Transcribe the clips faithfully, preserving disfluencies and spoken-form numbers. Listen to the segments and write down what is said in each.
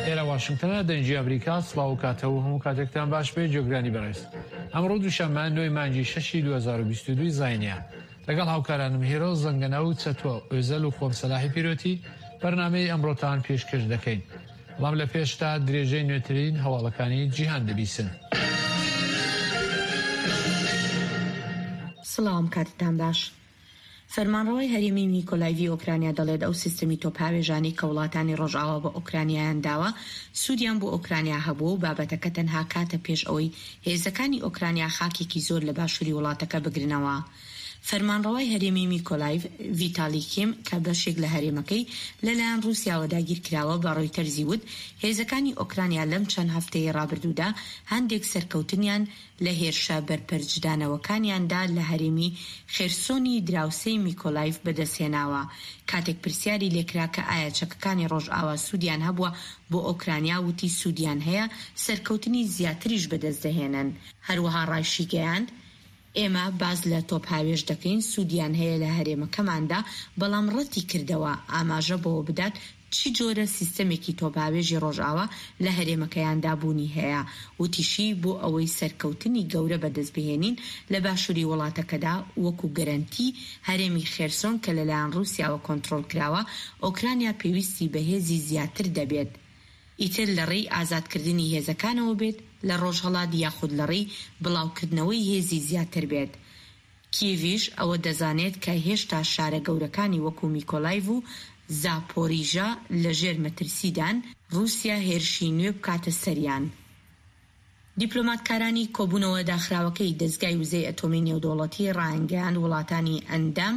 ئێرە واشنگتنە، دەنگی ئەمریکا. سڵاو و کاتە و هەموو کاتێکتان باش بێ جۆگرانی بەڕێز. ئەمڕۆ دووشەممە نۆی مانگی شەشی دوو هەزار و بیست و دوو زاینیە. لەگەڵ هاوکارانم هێرۆ زەنگەنە و چەتۆ ئۆزەل و خۆم سەلاحی پیرۆتی بەرنامەی ئەمڕۆتان پێشکەش دەکەین. بەڵام لە پێشدا درێژەی نوێترین هەواڵەکانی جیهان دەبیسن. سڵاوم کاتتان باش. فەرمانڕەوای هەرێمی میکۆلایڤی ئۆکرانیا دەڵێت ئەو سیستەمی تۆپهاوێژانەی کە وڵاتانی ڕۆژئاوا بە ئۆکرانیایان داوە سوودیان بۆ ئۆکرانیا هەبووە و بابەتەکە تەنها کاتە پێش ئەوەی هێزەکانی ئۆکرانیا خاکێکی زۆر لە باشووری وڵاتەکە بگرنەوە. فەرمانڕەوای هەرێمی میکۆلایڤ، ڤیتالی کیم کە بەشێک لە هەرێمەکەی لەلایەن ڕووسیاوە داگیرکراوە بە ڕۆیتەرزی وت هێزەکانی ئۆکرانیا لەم چەند هەفتەیەی ڕابردوودا هەندێک سەرکەوتنیان لە هێرشە بەرپەرچدانەوەکانیاندا لە هەرێمی خێرسۆنی دراوسێی میکۆلایڤ بەدەستهێناوە. کاتێک پرسیاری لێکرا کە ئایا چەکەکانی ڕۆژئاوا سوودیان هەبووە بۆ ئۆکرانیا، وتی سوودیان هەیە، سەرکەوتنی زیاتریش بەدەستدەهێنن. هەروەها ڕایشیگەیاند، ئێمە باس لە تۆپهاوێژ دەکەین، سوودیان هەیە لە هەرێمەکەماندا، بەڵام ڕەتی کردەوە ئاماژە بەوە بدات چ جۆرە سیستەمێکی تۆپهاوێژی ڕۆژئاوا لە هەرێمەکەیاندا بوونی هەیە. وتیشی، بۆ ئەوەی سەرکەوتنی گەورە بەدەستبهێنین لە باشووری وڵاتەکەدا، وەکو گەرەنتی هەرێمی خێرسۆن کە لەلایەن ڕووسیاوە کۆنترۆڵکراوە، ئۆکرانیا پێویستی بە هێزی زیاتر دەبێت، ئیتر لەڕێی ئازادکردنی هێزەکانەوە بێت لە ڕۆژهەڵات یاخود لەڕێی بڵاوکردنەوەی هێزی زیاتر بێت. کیێڤیش ئەوە دەزانێت کە هێشتا شارە گەورەکانی وەکو میکۆلایڤ و زاپۆریژا لەژێر مەترسیدان ڕووسیا هێرشی نوێ بکاتە سەریان. دیپلۆماتکارانی کۆبوونەوە داخراوەکەی دەزگای وزەی ئەتۆمی نێودەوڵەتی ڕایانگەیاند، وڵاتانی ئەندام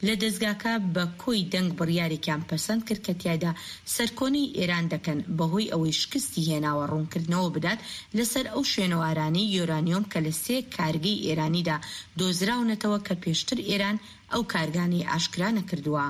لە دەزگاکە بە کۆی دەنگ بڕیارێکیان پەسەند کرد کە تیایدا سەرکۆنەی ئێران دەکەن بەهۆی ئەوەی شکستی هێناوە ڕوونکردنەوە بدات لەسەر ئەو شوێنەوارانەی یۆرانیۆم کە لە سێ کارگەی ئێرانیدا دۆزراونەتەوە کە پێشتر ئێران ئەو کارگانەی ئاشکرا نەکردووە.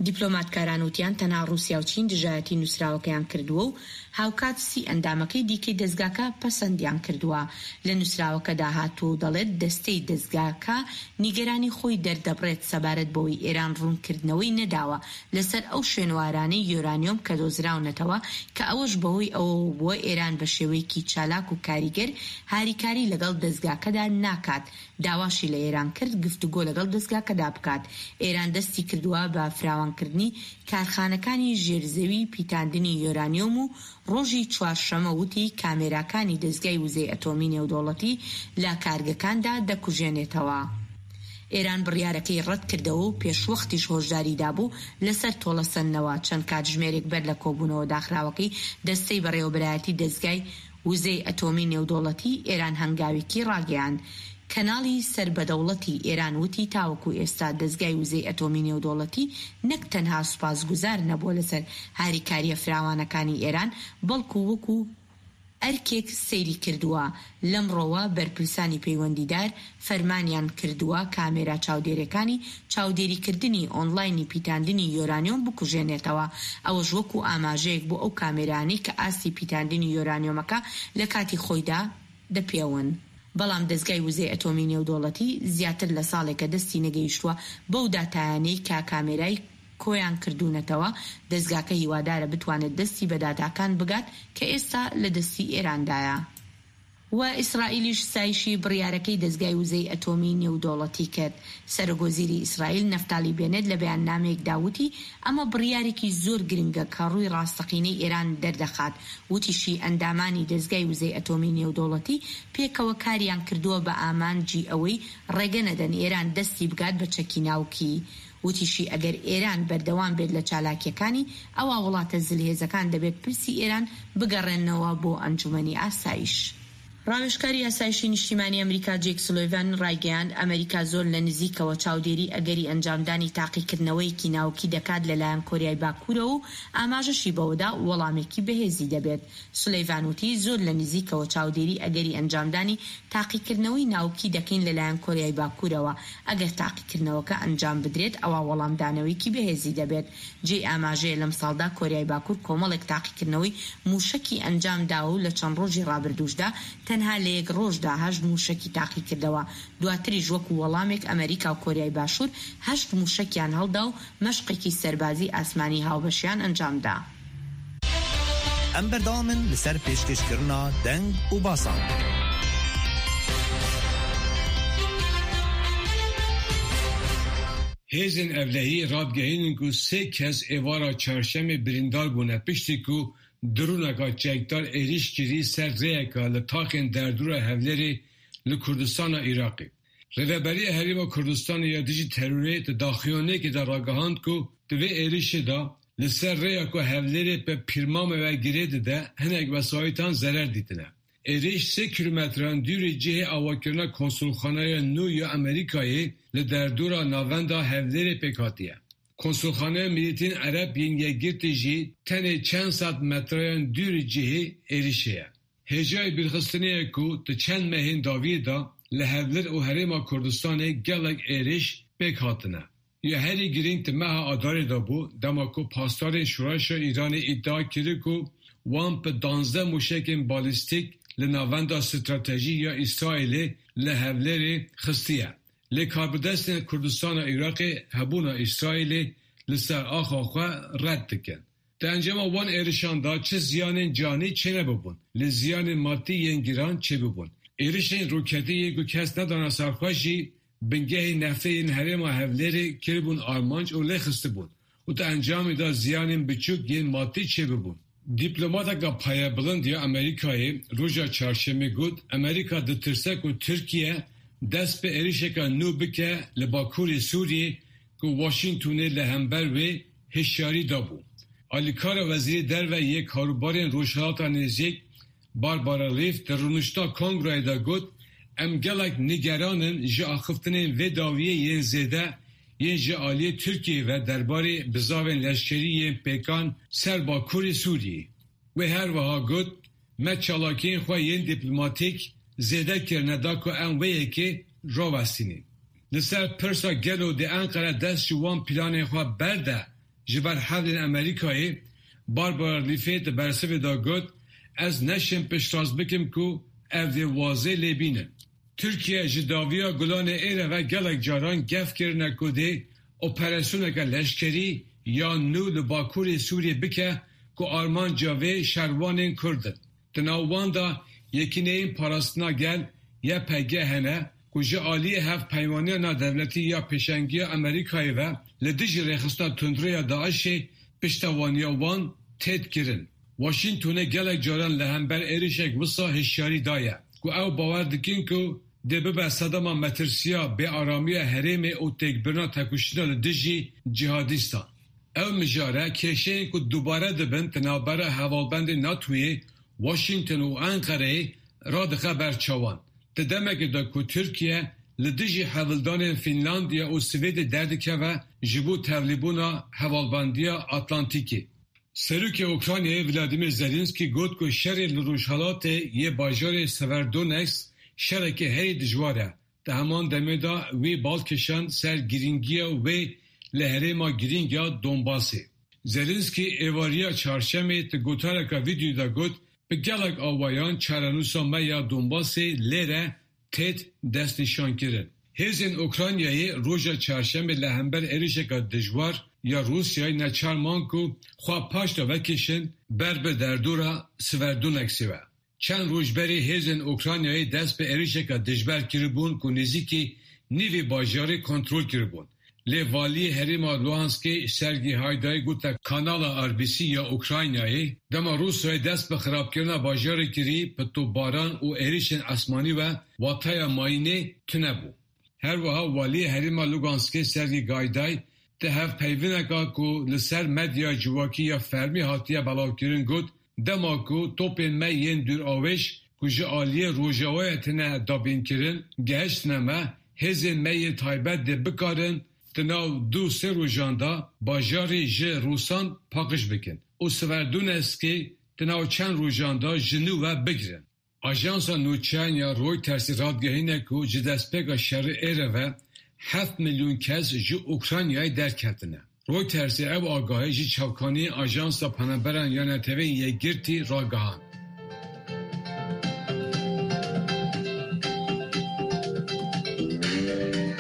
دیپلۆماتکاران وتیان تەنها ڕووسیا و چین دژایەتی نووسراوەکەیان کردووە و هاوکات سی ئەندامەکەی دیکەی دەزگاکە پەسەندیان کردووە. لە نووسراوەکەدا هاتووە و دەڵێت دەستەی دەزگاکە نیگەرانی خۆی دەردەبڕێت سەبارەت بەوەی ئێران ڕوونکردنەوەی نەداوە لەسەر ئەو شوێنەوارانەی یۆرانیۆم کە دۆزراونەتەوە کە ئەوەش بەهۆی ئەوەوە بووە ئێران بە شێوەیەکی چالاک و کاریگەر هاریکاری لەگەڵ دەزگاکەدا ناکات. داواشی لە ئێران کرد گفتوگۆ لەگەڵ دەزگاکەدا بکات. ئێران دەستی کردووە بە فراوانکردنی کارخانەکانی ژێرزەوی پیتاندنی یۆرانیۆم و ڕۆژی چوارشەمە وتی کامێراکانی دەزگای وزەی ئەتۆمی نێودەوڵەتی لە کارگەکاندا دەکوژێنێتەوە. ئێران بڕیارەکەی ڕەتکردەوە و پێشوەختیش هۆشداری دابوو لەسەر تۆڵەسەندنەوە. چەند کاتژمێرێک بەر لە کۆبوونەوە داخراوەکەی دەستەی بەڕێوەبەرایەتی دەزگای وزەی ئەتۆمی نێودەوڵەتی، ئێران هەنگاوێکی ڕاگەیاند. کەناڵی سەر بە دەوڵەتی ئێران وتی تاوەکو ئێستا دەزگای وزەی ئەتۆمی نێودەوڵەتی نەک تەنها سوپاسگوزار نەبووە لەسەر هاریکارییە فراوانەکانی ئێران بەڵکو وەکو ئەرکێک سەیری کردووە. لەمڕۆوە بەرپرسانی پەیوەندیدار فەرمانیان کردووە کامێرا چاودێرەکانی چاودێریکردنی ئۆنلاینی پیتاندنی یۆرانیۆم بکوژێنێتەوە، ئەوەش وەکو ئاماژەیەک بۆ ئەو کامێرانەی کە ئاستی پیتاندنی یۆرانیۆمەکە لە کاتی خۆیدا دەپێون. بەڵام دەزگای وزەی ئەتۆمی نێودەوڵەتی زیاتر لە ساڵێکە دەستی نەگەیشتووە بەو داتایانەی کە کامێرای کۆیان کردوونەتەوە، دەزگاکە هیوادارە بتوانێت دەستی بە داتاکان بگات کە ئێستا لە دەستی ئێراندایە. و ئیسرائیلیش ستایشی بڕیارەکەی دەزگای وزەی ئەتۆمی نێودەوڵەتی کرد. سەرۆکوەزیری ئیسرائیل نەفتالی بێنێت لە بەیاننامەیەکدا وتی ئەمە بڕیارێکی زۆر گرنگە کە ڕووی ڕاستەقینەی ئێران دەردەخات. وتیشی ئەندامانی دەزگای وزەی ئەتۆمی نێودەوڵەتی پێکەوە کاریان کردووە بە ئامانجی ئەوەی ڕێگە نەدەن ئێران دەستی بگات بە چەکی ناوکی. وتیشی ئەگەر ئێران بەردەوام بێت لە چالاکییەکانی، ئەوا وڵاتە زلهێزەکان دەبێت پرسی ئێران بگەڕێننەوە بۆ ئەنجومەنی ئاسایش. ڕاوێژکاری ئاسایشی نیشتیمانی ئەمریکا جەیک سولێڤان ڕایگەیاند، ئەمریکا زۆر لە نزیکەوە چاودێری ئەگەری ئەنجامدانی تاقیکردنەوەیەکی ناوکی دەکات لەلایەن کۆریای باکوورەوە و ئاماژەشی بەوەدا وەڵامێکی بەهێزی دەبێت. سولێڤان وتی، زۆر لە نزیکەوە چاودێری ئەگەری ئەنجامدانی تاقیکردنەوەی ناوکی دەکەین لەلایەن کۆریای باکوورەوە، ئەگەر تاقیکردنەوەکە ئەنجام بدرێت ئەوا وەڵامدانەوەیەکی بەهێزی دەبێت. جێی ئاماژەیە لەمساڵدا کۆریای باکوور کۆمەڵێک تاقیکردنەوەی مووشەکی ئەنجام داوە و لە چەند ڕۆژی ڕابردووشدا تەنها لە یەک ڕۆژدا هەشت مووشەکی تاقیکردەوە، دواتریش وەکو وەڵامێک ئەمەریکا و کۆریای باشوور هەشت مووشەکیان هەڵدا و مەشقێکی سەربازی ئاسمانی هاوبەشیان ئەنجامدا. Em berdewam in li ser pêşkêşkirina deng û basan. Hêzên ewlehiyê radigihînin ku sê kes êvara çarşemê birîndar bûne piştî ku droneka çekdar êriş kirî ser rêyeka li taxên derdora Hewlêrê li Kurdistana Iraqê. Rêveberiya Herêma Kurdistanê ya dijî terorê di daxuyaniyekê de ragihand ku di vê êrişê de li ser rêya ku Hewlêrê bi Pîrmamê ve girê dide hinek wesayîtan zerer dîtine. Êriş sê kîlometran dûrî cihê avakirina konsulxaneya nû ya Amerîkayê li derdora navenda Hewlêrê pêk hatiye. Konsulxaneya Milletên Ereb yên Yekgirtî jî tenê çend sed metreyan dûrî cihê êrişê ye. Hêjayê bîrxistinê ye ku di çend mehên dawiyê de li Hewlêr û Herêma Kurdistanê gelek êriş pêk hatine. Ya herî girîng di meha Adarê de bû dema ku pasdarên Şoreşa Îranê îdia kir ku wan bi danzdeh mûşekên balîstîk li navenda stratejî ya Îsraîlê li Hewlêrê xistiye. Lê karbidestên Kurdistana Iraqê hebûna Îsraîlê li ser axa xwe red dikin. Di encama wan êrişan de çi ziyanên canî çênebûbûn, lê ziyanên madî yên giran çêbûbûn. Êrişên roketî yên ku kes nedane ser xwe jî bingehên neftê yên herêma Hewlêrê kiribûn armanc û lê xistibûn û di encamê de ziyanên biçûk yên madî çêbûbûn. Dîplomateka payebilind ya Amerîkayê roja çarşemê got Amerîka ditirse ku Tirkiye dest bi êrişeke nû bike li Bakurê Sûriyê ku Washingtonê li hember wê hişyarî dabû. Alîkara Wezîrê Derve yê Karûbarên Rojhilata Nêzîk Barbara Leaf di rûniştina Kongreyê de got em gelek nîgeran in ji axiftinên vê dawiyê yên zêde yên ji aliyê Tirkiyeyê ve derbarê bizavên leşkerî yên pêkan ser Bakurê Sûriyê. Wê her wiha got me çalakiyên xwe yên dîplomatîk zêde kirine da ku em wê yekê rawestînin. Li ser pirsa gelo dê Enqere dest ji wan planên xwe berde ji ber hewlên Amerîkayê Barbara Leafê di bersivê de got ez neşim piştrast bikim ku ev dê wazê lê bînin. Tirkiye ji dawiya Gulanê êre ve gelek caran gef kirine ku dê operasyoneke leşkerî ya nû li Bakurê Sûriyê bike ku armanca vê şervanên Kurd in. Di nav wan de Yekîneyên Parastina Gel Y P G hene ku ji aliyê hevpeymaniya navdewletî ya pêşengiya Amerîkayê ve li dijî rêxistina tundreya DAIŞê piştevaniya wan tê kirin. Washingtonê gelek caran li hember êrişek wisa hişyarî daye ku ew bawer dikin ku dê bibe sedema metirsiya bêaramiya herêmê û têkbirina têkoşîna li dijî cîhadîstan. Ew mijare kêşeyên ku dubare dibin di navbera hevalbendên NATOyê, Washington û Enqereyê radixe ber çavan. Di demekê de ku Tirkiye li dijî hewldanên Fînlandiya û Swêdê derdikeve ji bo tevlîbûna hevalbendiya Atlantîkê. Serokê Ukraynayê Vladimir Zelenski got ku şerê li Rojhilatê yê bajarê Severodonetsk şerekê herî dijwar e. Di heman demê de wî bal kişand ser girîngiya wê li herêma girîng ya Donbasê. Zelenski êvariya çarşemê di gotareka vîdeoyê de got bi gelek awayan çarenûsa me ya Donbasê lêre têt destnîşankirin. Hêzên Ukraynayê roja çarşemê li hember êrişeke dijwar ya Rûsyayê neçar man ku xwe paş de vekişin ber bi derdora Severodonetskê ve. Çend roj berê hêzên Ukraynayê dest bi êrişeke dijber kiribûn ku nêzîkî nîvê bajarê kontrol kiribûn. Lê waliyê herêma Luhanskê Sergî Hayday gote kanala R B C ya Ukraynayê dema Rûsyayê dest bi xirabkirina bajarê kirî bi topbaran û êrişên esmanî ve wateya mayînê tune bû. Her wiha waliyê herêma Luganskê Sergî Gayday di hevpeyvîneka ku li ser medya civakî ya fermî hatiye belavkirin got dema ku topên me yên dûravêj ku ji aliyê rojavayê têne dabînkirin gihiştine me hêzên me yên taybet dê bikarin di nav du sê rojan de bajarê ji Rûsan paqij bikin û Severodonetskê di nav çend rojan de ji nû ve bigirin. Ajansa nûçeyan ya Reutersê radigihîne ku ji destpêka şerê êre ve heft milyon kes ji Ukraynayê derketine. Reutersê ev agahî ji çavkaniyên Ajansa Penaberan ya Neteweyên Yekgirtî ragihand.